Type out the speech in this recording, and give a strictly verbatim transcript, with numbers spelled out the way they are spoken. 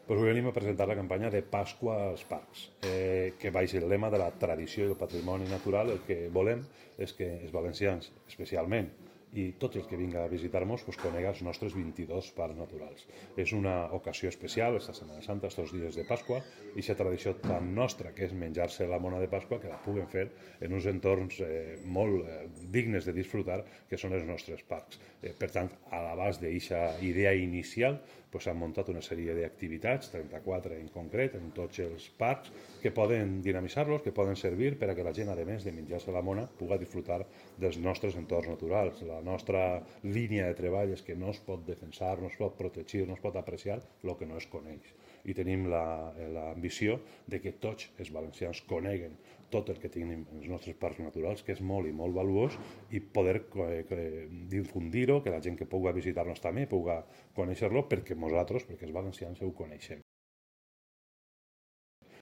Pues avui venim a presentar la campanya de Pasqua als parcs, eh, que baix el lema de la tradició i el patrimoni natural. El que volem és que els valencians, especialment, i tots els que vinguin a visitar-nos, pues, coneguen els nostres vint-i-dos parcs naturals. És una ocasió especial, esta Setmana Santa, estos dies de Pasqua, i aquesta tradició tan nostra, que és menjar-se la mona de Pasqua, que la puguen fer en uns entorns eh, molt eh, dignes de disfrutar, que són els nostres parcs. Eh, per tant, a l'abast d'aquesta idea inicial, s'han pues, muntat una sèrie d'activitats, trenta-quatre en concret, en tots els parcs, que poden dinamitzar-los, que poden servir per a que la gent, a més de menjar-se la mona, pugui disfrutar dels nostres entorns naturals. La nostra línia de treball és que no es pot defensar, no es pot protegir, no es pot apreciar el que no es coneix. I tenim l'ambició de que tots els valencians coneguen tot el que tenim en els nostres parcs naturals, que és molt i molt valuós, i poder eh, difundir-ho, que la gent que pugui visitar-nos també pugui conèixer-lo, perquè nosaltres, perquè els valencians, ho coneixem.